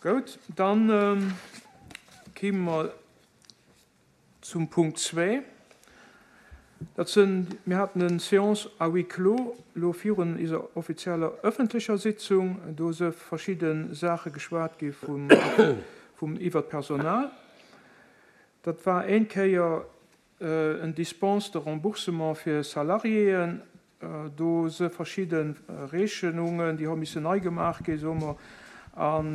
Goud, dann kime mer zum Punkt zwee. Dat sënn, mir haten en Séance à huis clos elo virun iser offizieller öffentlecher Sitzung. Do se verschidde Saache geschwat gi vum, vum iwwert d'Personal. Dat war een Kéier en Dispense de remboursement fir Salariéen. Do se verschidde Rechenungen, déi hu missen nei gemaach ginn, soe mer, an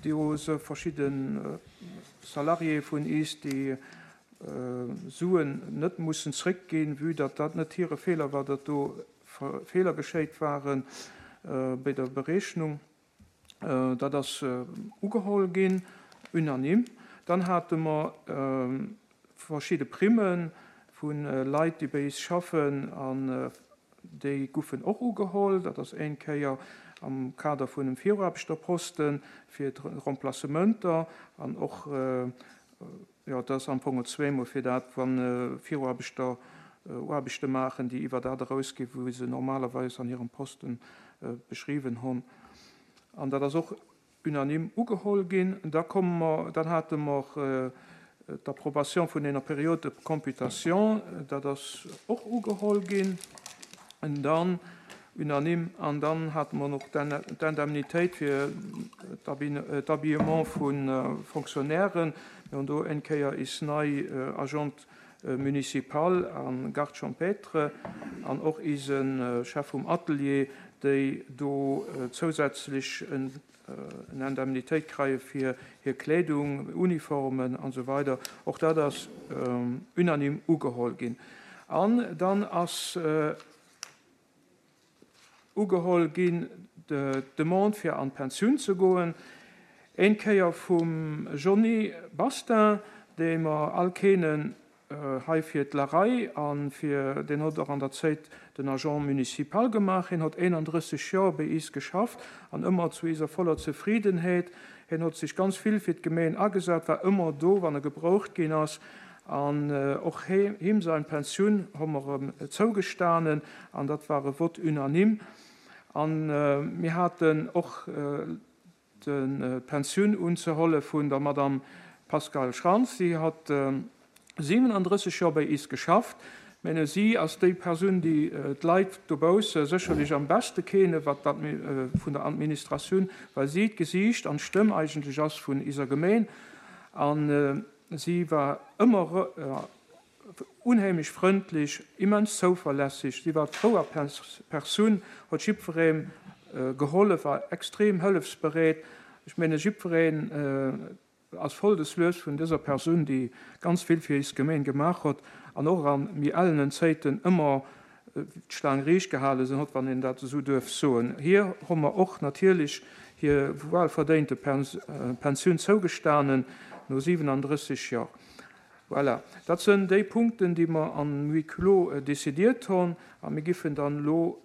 do se verschidde Salariéë vun is, déi Suen net mussen zréckginn, vue datt dat net hire Feeler war, datt do Feeler geschéit ware bei der Berechnung. Dat ass ugeholl ginn, unanime. Dann hate mer verschidde Primme vu Leit, déi bei is schaffen, an déi goufen och ugeholl. Dat ass éin Kéier am Kader vun dem Viruaarbechterposten fir d'Remplacementer an och, jo, dat ass am Fong zweemol fir dat, wa Viruaarbechter Aarbechte maachen, déi iwwer dat erausginn, wou se normalerweis an hirem Posten beschriwwen hunn. An dat ass och unanime ugeholl ginn. Da komme mer, dann hate mer d'Approbation vun enger Période de computation, dat ass och ugeholl ginn, dann unanime. An dann hate mer och d'Indemnitéit fir d'Habillement vu Fonctionnairen. Mir hunn do eng Kéier is nei Agente municipal a Garde champêtre an och ise Chef vum Atelier, déi do zousätzlech en Indemnitéit kreie fir hir Kleedung, Uniformen an esou weider. Och dat ass unanime ugeholl ginn. An dann ass Ugeholl ginn d'Demande fir an d'Pensioun ze goen, een Kéier vum Johny Bastin, dee mer all keenen hei fir d'Larei a fir, deen hott och an der Zéit den Agent municipal gemaach. Hien hott 31 Joer béi is geschafft an ëmmer zu iser voller Zefriddenheet. Hien hott sech ganz vill fir d'Gemeen agesat, war ëmmer do wann e gebroucht ginn ass An och him sein Pensioun hu mer em zougestanen, an dat war e Vote unanime. A mir haten och d'Pensioun unzeholle vun der Madame Pascale Schrantz. Si hat 37 Joer bei is geschafft. Mene si ass déi Persoun, déi d'Leit dobausse sécherlech am beschte kene wat dat vun der Administratioun, well si d'Gesiicht an d'Stëmm eigentlech ass vun iser Gemeen. An Si war ëmmer unheemlech frëndlech, immens zouverlässeg. Si war d'Frou a Persoun, huet jiddweree gehollef, war extrem hëllefsbereet. Ech menge jiddwereen ass voll des Lues vun dëser Persoun, déi ganz vill fir is Gemeen gemaach huet an och a méi ellenen Zéiten ëmmer d'Staang riicht gehale sinn hott, wann een dat esou duerf soen. Hir hu mer och natierlech hir wuelverdéinte Pensioun zougestanen no 37 Jor. Voilà, dat sënn déi Punkten, déi mer am Huis clos décidiert hon, a mir giffen dann elo.